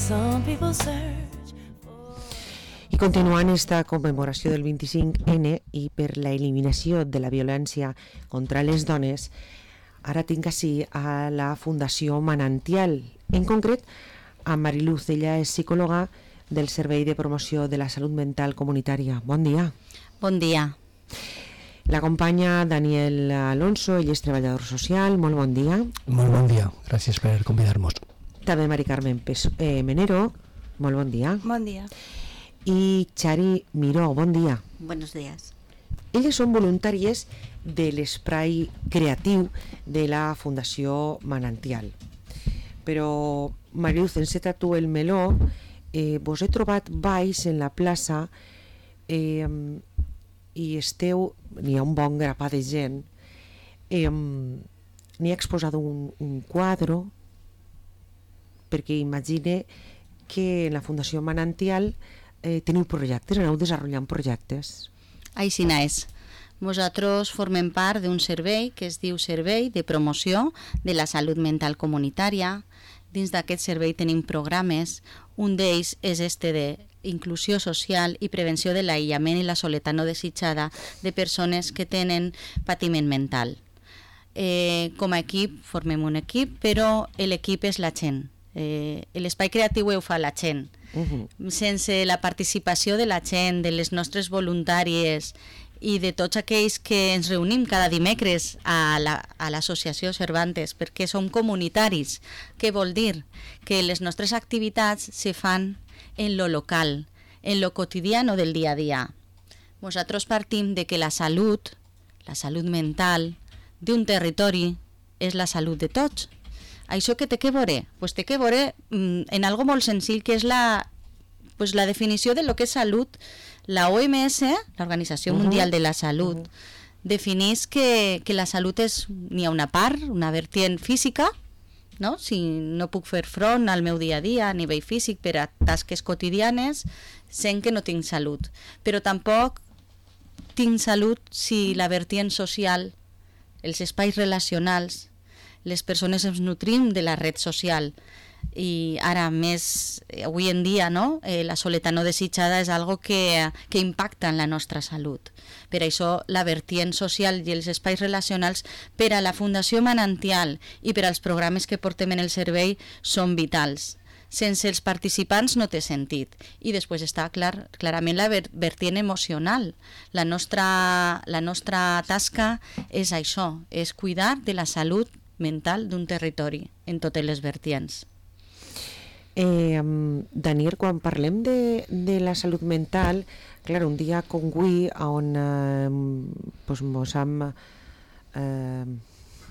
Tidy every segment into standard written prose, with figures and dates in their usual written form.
I continuant esta commemoració del 25N i per la eliminació de la violència contra les dones, ara tinc així a la Fundació Manantial, en concret a Mariluz. Ella és psicòloga del Servei de Promoció de la Salut Mental Comunitària. Bon dia. Bon dia. L'acompanya Daniel Alonso, ell és treballador social. Molt bon dia. Molt bon dia, gràcies per convidar-nos. També Mari Carmen Menero. Molt bon dia. Bon dia. I Xari Miró, bon dia. Buenos días. Elles són voluntàries de l'espai creatiu de la Fundació Manantial. Però, Mariluz, enceta tu el meló, vos he trobat baix en la plaça i esteu, n'hi ha un bon grapat de gent, n'hi ha exposat un quadre, perquè imagine que en la Fundació Manantial teniu projectes, aneu desenvolupant projectes. Així és. Nosaltres formem part d'un servei que es diu Servei de Promoció de la Salut Mental Comunitària. Dins d'aquest servei tenim programes. Un d'ells és d'inclusió social i prevenció de l'aïllament i la soledat no desitjada de persones que tenen patiment mental. Com a equip, formem un equip, però l'equip és la gent. L'espai creatiu ho fa la gent. Sense la participació de la gent, de les nostres voluntàries i de tots aquells que ens reunim cada dimecres a l'associació Cervantes, perquè som comunitaris. Què vol dir? Que les nostres activitats se fan en lo local, en lo quotidiano del dia a dia. Nosaltres partim de que la salut mental d'un territori és la salut de tots. Això què té que veure? Pues té que veure en algo molt senzill, que és la definició de lo que és salut. La OMS, l'Organització Mundial de la Salut, defineix que la salut és, n'hi ha una part, una vertient física, no? Si no puc fer front al meu dia a dia a nivell físic per a tasques quotidianes, sent que no tinc salut. Però tampoc tinc salut si la vertient social, els espais relacionals, les persones ens nutrim de la red social. I ara més, avui en dia, no? La soledat no desitjada és algo que impacta en la nostra salut. Per això la vertient social i els espais relacionals per a la Fundació Manantial i per als programes que portem en el servei són vitals. Sense els participants no té sentit. I després està clarament la vertient emocional. La nostra tasca és això, és cuidar de la salut mental d'un territori en totes les vertients. Daniel, quan parlem de la salut mental, clar, un dia com avui on mos hem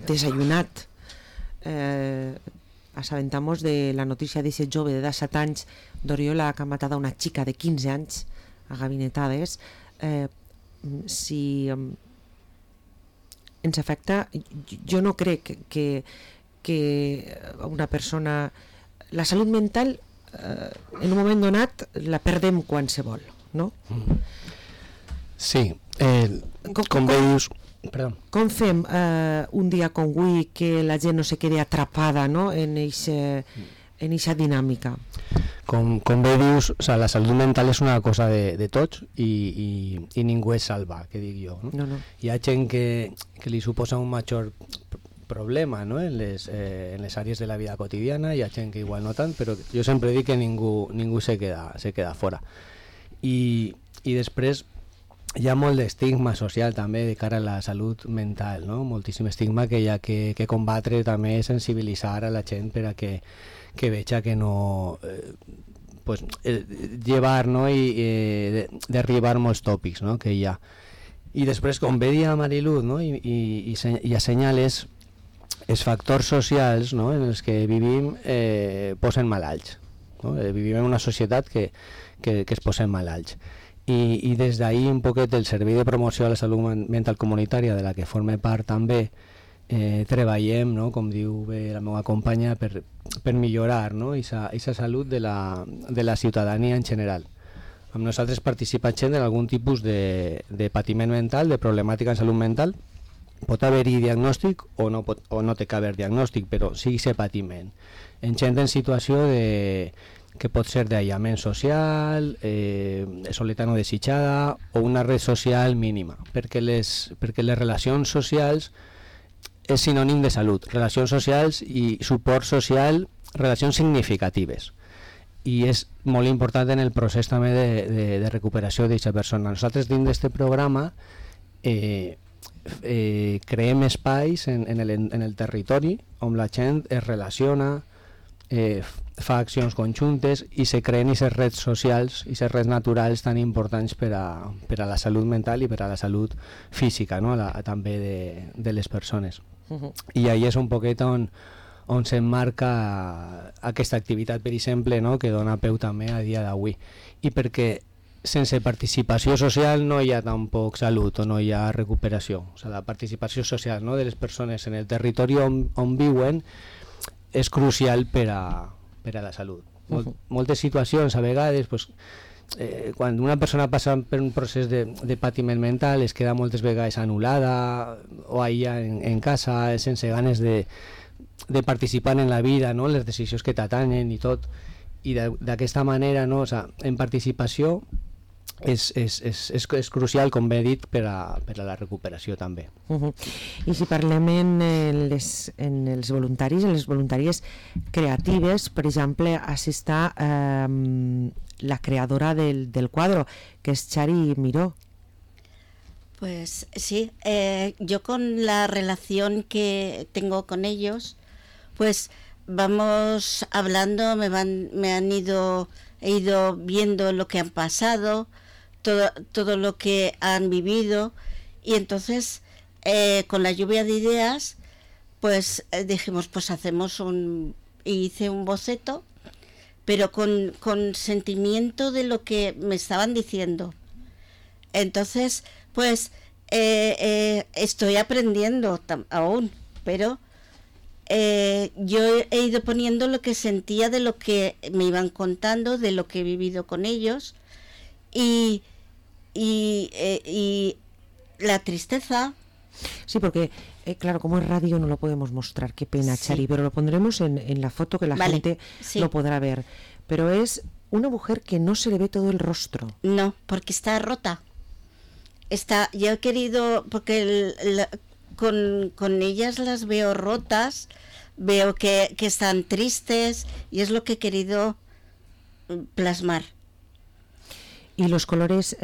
desayunat, assabentamos de la notícia d'aquest jove de 17 anys d'Oriola que ha matat una xica de 15 anys a gabinetades. Si ens afecta, jo no crec que una persona... La salut mental, en un moment donat, la perdem qualsevol, no? Sí, com bé dius... Perdó. Com fem un dia com avui que la gent no se quedi atrapada, no? en eixa dinàmica? Com bé dius, la salut mental és una cosa de tots i ningú és salva, que dic jo. No? Hi ha gent que li suposa un major problema, no? en les àrees de la vida quotidiana, hi ha gent que igual no tant, però jo sempre dic que ningú se queda fora. I després hi ha molt d'estigma social també de cara a la salut mental, no? Moltíssim estigma que hi ha que combatre, també sensibilitzar a la gent per a que veja que no... llevar, no? I derribar molts tòpics, no? que hi ha. I després, com bé dia Mariluz, no? i assenyales els factors socials, no? en els que vivim posen malalts. No? Vivim en una societat que es posen malalts. I des d'ahir un poquet el Servei de Promoció de la Salut Mental Comunitària, de la que forme part també, treballem, no? com diu bé la meva companya, per millorar, no? Aquesta salut de la ciutadania en general. Amb nosaltres participa gent en algun tipus de patiment mental, de problemàtica en salut mental. Pot haver-hi diagnòstic o no té que haver diagnòstic, però sí que patiment. En gent en situació que pot ser d'aïllament social, soledat no desitjada o una red social mínima, perquè les relacions socials és sinònim de salut. Relacions socials i suport social, relacions significatives. I és molt important en el procés també de recuperació d'aquesta persona. Nosaltres dins d'aquest programa creem espais en el territori on la gent es relaciona, fa accions conjuntes i se creen aquestes reds socials i aquestes reds naturals tan importants per a la salut mental i per a la salut física, no? També de les persones. I ahí és un poquet on s'emmarca aquesta activitat, per exemple, no? Que dona peu també a dia d'avui. I perquè sense participació social no hi ha tampoc salut o no hi ha recuperació. O sigui, la participació social, no? De les persones en el territori on viuen és crucial per a la salut. Moltes situacions, a vegades, pues, quan una persona passa per un procés de patiment mental es queda moltes vegades anul·lada o aïllada en casa sense ganes de participar en la vida, no? Les decisions que t'atanyen i tot, i d'aquesta manera, no? O sigui, en participació és crucial, com bé he dit, per a la recuperació també. I si parlem en els voluntaris, en les voluntàries creatives, per exemple, així està la creadora del quadro, que es Chari Miró. Pues sí, yo con la relación que tengo con ellos, pues vamos hablando, he ido viendo lo que han pasado, todo lo que han vivido, y entonces con la lluvia de ideas pues dijimos, pues hice un boceto, pero con sentimiento de lo que me estaban diciendo. Entonces pues estoy aprendiendo aún, pero yo he ido poniendo lo que sentía de lo que me iban contando, de lo que he vivido con ellos, y la tristeza. Sí, porque claro, como es radio no lo podemos mostrar, qué pena, sí. Chari, pero lo pondremos en la foto que la gente sí. Lo podrá ver. Pero es una mujer que no se le ve todo el rostro. No, porque está rota. Yo he querido, porque con ellas las veo rotas, veo que están tristes, y es lo que he querido plasmar. ¿Y los colores?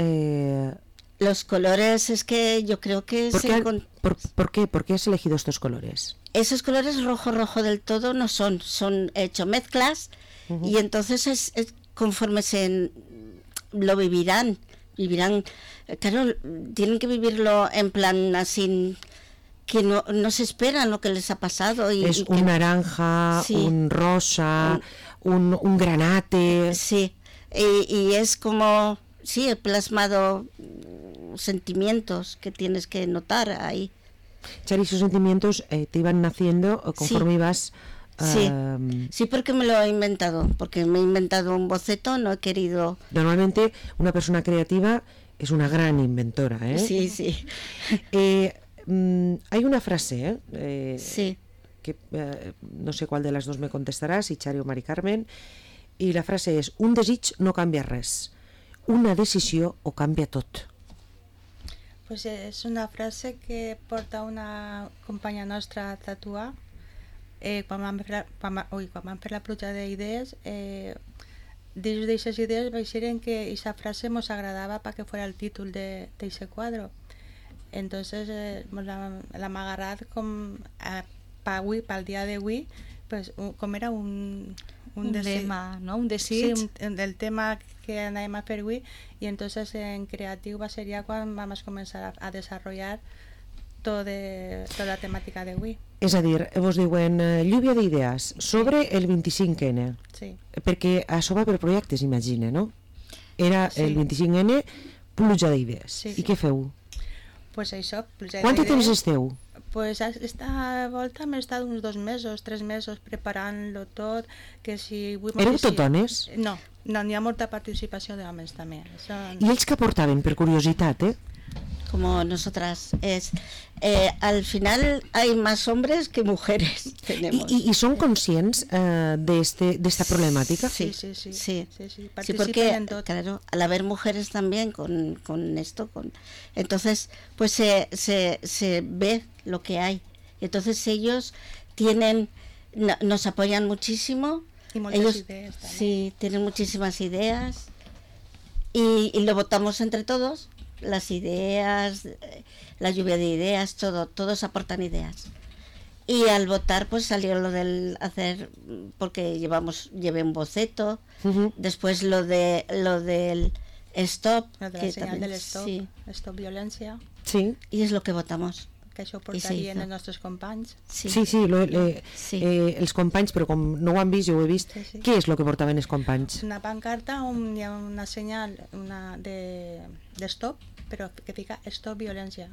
Los colores es que yo creo que... ¿Por qué? ¿Por qué has elegido estos colores? Esos colores rojo del todo no son hecho mezclas, y entonces conforme lo vivirán, claro, tienen que vivirlo en plan así, que no se esperan lo que les ha pasado. Es un naranja, sí, un rosa, un granate. Sí, y es como, sí, he plasmado sentimientos que tienes que notar ahí. Chari, esos sentimientos te iban naciendo conforme sí. ibas... Sí, porque me lo he inventado, porque me he inventado un boceto, no he querido... Normalmente una persona creativa es una gran inventora, ¿eh? Sí, sí. Hay una frase, sí. Que no sé cuál de las dos me contestarás, si Chari o Mari Carmen, y la frase és: un desig no canvia res, una decisió ho canvia tot. Pues és una frase que porta una companya nostra a tatuar. Quan vam fer la pluja d'idees, dins d'aquestes idees vaixeren que aquesta frase ens agradava perquè fos el títol d'aquest quadre. Entonces l'hem agarrat com pel dia d'avui, pues, com era un lema, ¿no? Un desig. Sí, el tema que anàvem a fer avui, i entonces en creatiu va ser ja quan vam començar a desenvolupar tota la temàtica d'avui. És a dir, vos diuen lluvia d'idees sobre el 25N, sí. Perquè això va per projectes, imagina, no? Era sí. El 25N, pluja d'idees. Sí, sí. I què feu? Pues això, pluja Quant de temps esteu? Pues esta volta hem estat uns 2 mesos, 3 mesos preparant-lo tot. Que si Éreu tot dones? No, n'hi ha molta participació d'homes també. I ells que portaven, per curiositat, como nosotras. Al final hay más hombres que mujeres. Tenemos. ¿Y son conscientes de esta problemática? Sí, Sí, porque claro, al haber mujeres también con esto, entonces pues se ve lo que hay. Entonces ellos nos apoyan muchísimo. Y muchas ellos ideas también. Sí, tienen muchísimas ideas y lo votamos entre todos. Las ideas, la lluvia de ideas, todos aportan ideas. Y al votar pues salió lo del hacer, porque llevé un boceto, después lo del stop, Lo de la que señal también, del stop, sí, stop violencia, Sí. y es lo que votamos. que això I se portarien hizo. els nostres companys. Sí, Sí, Sí. els companys, però com no ho han vist, jo ho he vist, Sí. què és el que portaven els companys? Una pancarta on hi ha una senyal de stop, però que fica stop violència.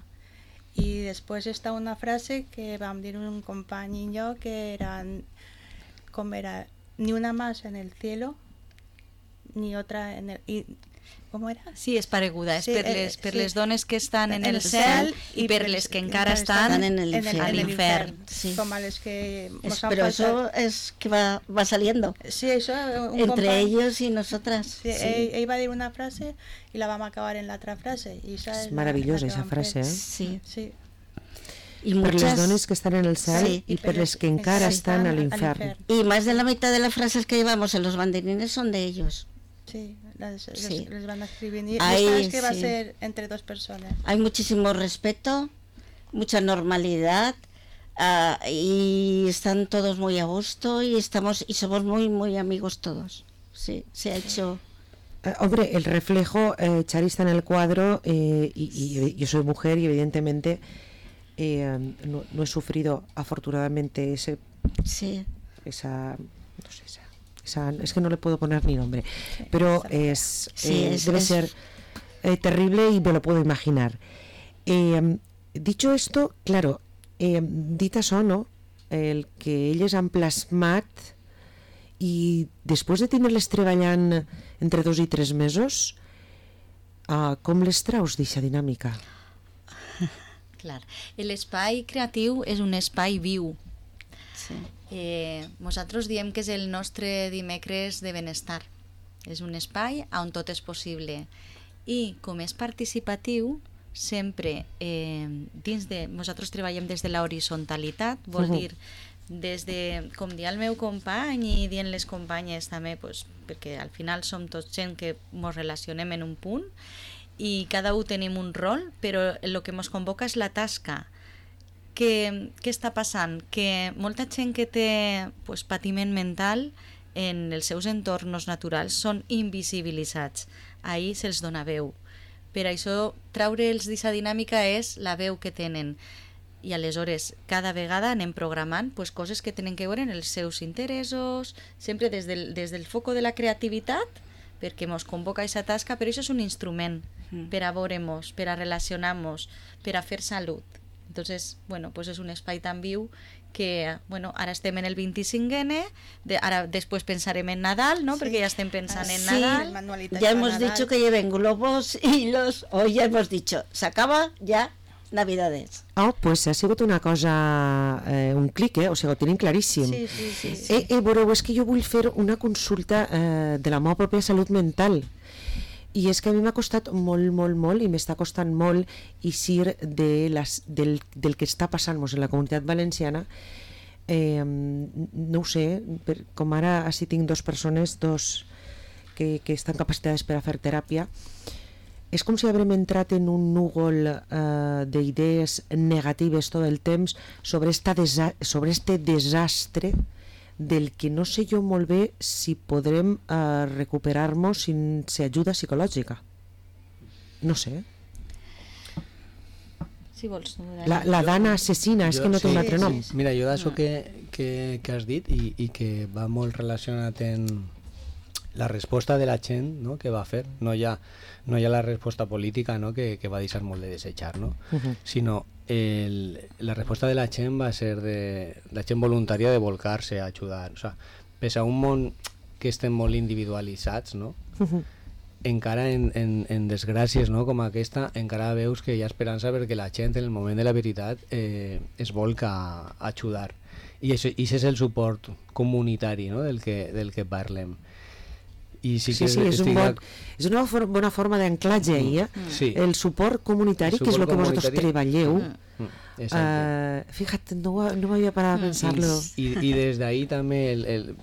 I després està una frase que vam dir un company i jo, que era, com era, ni una más en el cielo, ni otra en el... Com era? Sí, és pareguda, és Sí, per sí. les dones que estan en el cel i per les que encara estan en el infern. Sí. Com a les que mos han Pero eso faltat. es que va saliendo Sí, això, un entre company... ellos y nosotras. Sí, Sí. ell va dir una frase i la vam acabar en l'altra frase. I És meravellosa, aquesta frase, eh? Sí. Sí. Y Per les muchas, dones que estan en el cel Sí. i per les que encara estan a l'infern. y más de la mitad de las frases que llevamos en los banderines son de ellos. Sí, Sí. les van escribint. I Ahí, esta es que va sí. ser entre dos persones. Hay muchísimo respeto, mucha normalidad, y están todos muy a gusto y somos muy muy amigos todos. Sí, se ha hecho. Hombre, el reflejo, Chari está en el cuadro y yo soy mujer y evidentemente no he sufrido afortunadamente Sí. esa es que no le puedo poner ni nombre, pero debe ser terrible y me lo puedo imaginar. Dicho esto, claro, dit això, no? El que elles han plasmat i després de tenir-les treballant entre 2 i 3 mesos, com les traus d'aquesta dinàmica? Clar. L'espai creatiu és un espai viu. Sí. Nosaltres diem que és el nostre dimecres de benestar. És un espai on tot és possible. I com és participatiu, sempre nosaltres treballem des de la horizontalitat, vol dir des de, com dir el meu company i dient les companyes també, pues, perquè al final som tots gent que ens relacionem en un punt i cada un tenim un rol, però el que ens convoca és la tasca. Què està passant? Que molta gent que té pues, patiment mental en els seus entorns naturals són invisibilitzats. Ahir se'ls dona veu. Per això, treure'ls d'aquesta dinàmica és la veu que tenen. I aleshores, cada vegada anem programant pues, coses que tenen que veure en els seus interessos, sempre des del foco de la creativitat, perquè ens convoca aquesta tasca, però això és un instrument per a veure-nos, per a relacionar-nos, per a fer salut. Entonces, bueno, pues es un espai tan viu que, bueno, ara estem en el 25N, ara després pensarem en Nadal, ¿no? Sí. Perquè ja estem pensant en Nadal. Ya hemos dicho que lleven globos y hoy ya hemos dicho, se acaba ya Navidades. Pues ha sigut una cosa, un clic, o sigui, ho tenim claríssim. Sí. Veureu, és que jo vull fer una consulta de la meva pròpia salut mental. I és que a mi m'ha costat molt i m'està costant molt eixir del que està passant-nos en la comunitat valenciana. No ho sé, com ara així tinc 2 persones que estan capacitades per a fer teràpia, és com si haurem entrat en un núvol d'idees negatives tot el temps sobre este desastre del que no sé jo molt bé si podrem recuperar-nos sense ajuda psicològica. No sé. Si vols, la dana assassina, és que no té un altre nom. Mira, jo d'això que has dit i que va molt relacionat en la resposta de la gent, no?, que va fer. No hi ha la resposta política, no?, que va deixar molt de desitjar, no? Sinó la resposta de la gent va ser de la gent voluntària de volcar-se a ajudar. O sea, pese a un món que estem molt individualitzats, no?, encara en desgràcies, no, com aquesta, encara veus que hi ha esperança perquè la gent en el moment de la veritat es volca a ajudar. I això és el suport comunitari, no, del que parlem. I sí, que és una bona forma d'anclatge ahir, sí. El suport comunitari, que és el que vosaltres treballeu. Fíjate, no m'havia parat a pensar-lo. I des d'ahir també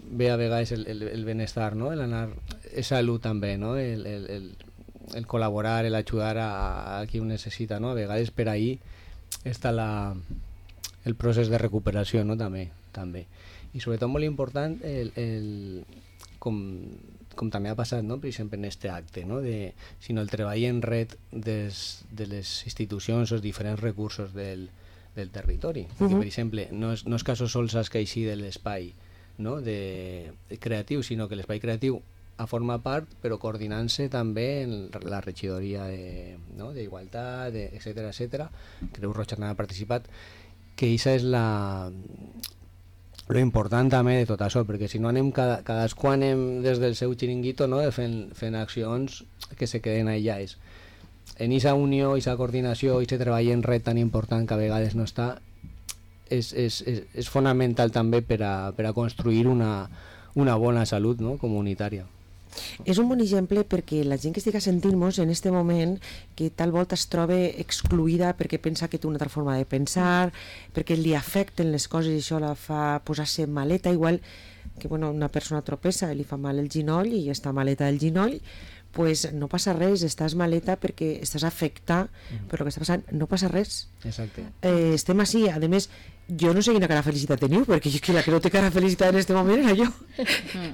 ve a vegades el benestar, no? El salut també, no? El col·laborar, el ajudar a qui ho necessita, no? A vegades per ahir està el procés de recuperació, no? També. I sobretot molt important com també ha passat, no? Per exemple, en aquest acte, no? Sinó el treball en red de les institucions o els diferents recursos del territori. Perquè, per exemple, no és que sols has que eixir de l'espai, no? de creatiu, sinó que l'espai creatiu forma part, però coordinant-se també en la regidoria d'Igualtat, etcètera. Creu Roja també ha participat, que això és lo important també de tot això, perquè si no anem cadascú anem des del seu xiringuito, no? fent accions que se queden aïllades. En aquesta unió, aquesta coordinació, aquest treball en red tan important que a vegades no està, és fonamental també per a construir una bona salut, no? Comunitària. És un bon exemple perquè la gent que estigui sentint-nos en aquest moment, que tal volta es troba excluïda perquè pensa que té una altra forma de pensar, perquè li afecten les coses i això la fa posar-se maleta, igual que una persona tropessa, li fa mal el ginoll i està maleta del ginoll, pues no passa res, estàs maleta perquè estàs afectat per el que està passant, no passa res. Exacte. Estem així, a més, jo no sé quina cara felicitat teniu, perquè jo que la que no té cara felicitat en aquest moment era jo.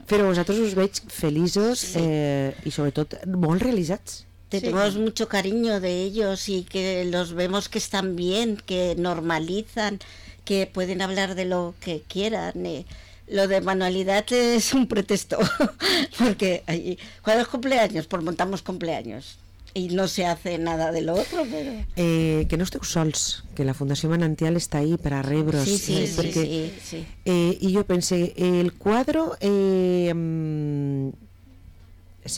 Però vosaltres us veig feliços i sobretot molt realitzats. Tenemos mucho cariño de ellos y que los vemos que están bien, que normalizan, que pueden hablar de lo que quieran. Lo de manualidad es un pretexto, porque cuando es cumpleaños, pues montamos cumpleaños y no se hace nada de lo otro, pero... que no esteu sols, que la Fundació Manantial està ahí per a rebre'ls. Sí. I jo pense, el quadro se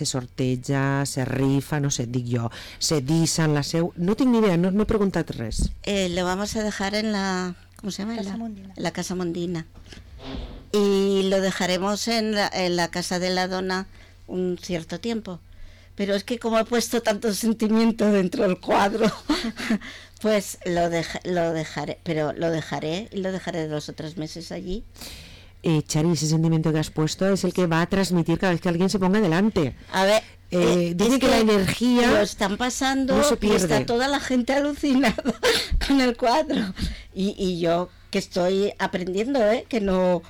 sorteja, se rifa, no sé, dic jo, se dissa en la seu... No tinc ni idea, no he preguntat res. Lo vamos a dejar en la... ¿Cómo se llama? La Casa Mondina. Y lo dejaremos en la Casa de la Dona un cierto tiempo. Pero es que como he puesto tanto sentimiento dentro del cuadro, pues lo dejaré, pero lo dejaré 2 o 3 meses allí. Chari, ese sentimiento que has puesto es el que va a transmitir cada vez que alguien se ponga delante. A ver, dice que la energía lo están pasando, no se pierde. Y está toda la gente alucinada con el cuadro. Y yo que estoy aprendiendo, que no...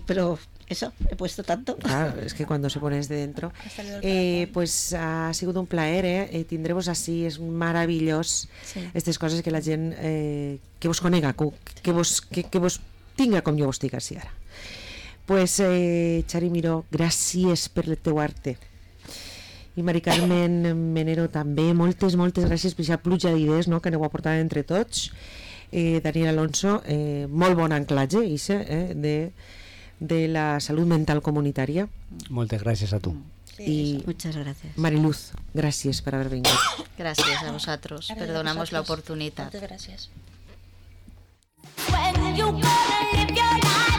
Pero eso, he puesto tanto. Claro, es que cuando se pone desde dentro. Pues ha sigut un plaer, tindre-vos així, és meravellós. Aquestes coses que la gent que vos conega, que vos tinga com jo vos tinc així ara. Pues Chari Miró, gràcies per el teu arte. I Mari Carmen Menero també, moltes gràcies per aquesta pluja d'idees, no?, que aneu aportant entre tots. Daniel Alonso, molt bon anclatge de la salut mental comunitària. Moltes gràcies a tu. Y muchas gracias. Mariluz, gracias por haber venido. Gracias a vosotros. Perdonamos la oportunidad. Muchas gracias. When you gonna live your life?